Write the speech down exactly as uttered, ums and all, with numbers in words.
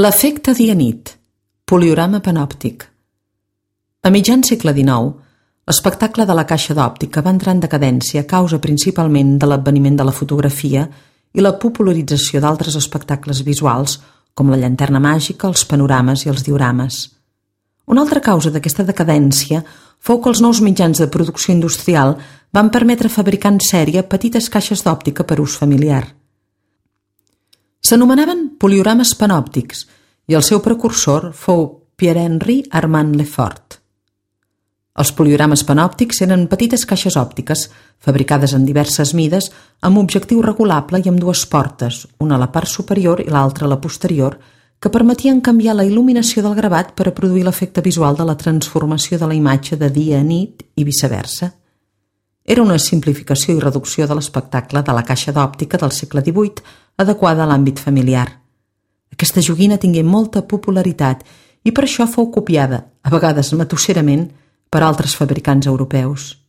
L'efecte dia-nit, poliorama panòptic. A mitjan segle dinou, l'espectacle de la caixa d'òptica va entrar en decadència a causa principalment de l'adveniment de la fotografia i la popularització d'altres espectacles visuals, com la llanterna màgica, els panorames i els diorames. Una altra causa d'aquesta decadència fou que els nous mitjans de producció industrial van permetre fabricar en sèrie petites caixes d'òptica per ús familiar. S'anomenaven poliorames panòptics i el seu precursor fou Pierre-Henri Armand Lefort. Els poliorames panòptics eren petites caixes òptiques fabricades en diverses mides amb objectiu regulable i amb dues portes, una a la part superior i l'altra a la posterior, que permetien canviar la il·luminació del gravat per a produir l'efecte visual de la transformació de la imatge de dia a nit i viceversa. Era una simplificació i reducció de l'espectacle de la caixa d'òptica del segle divuit adequada a l'àmbit familiar. Aquesta joguina tingué molta popularitat i per això fou copiada, a vegades matusserament, per altres fabricants europeus.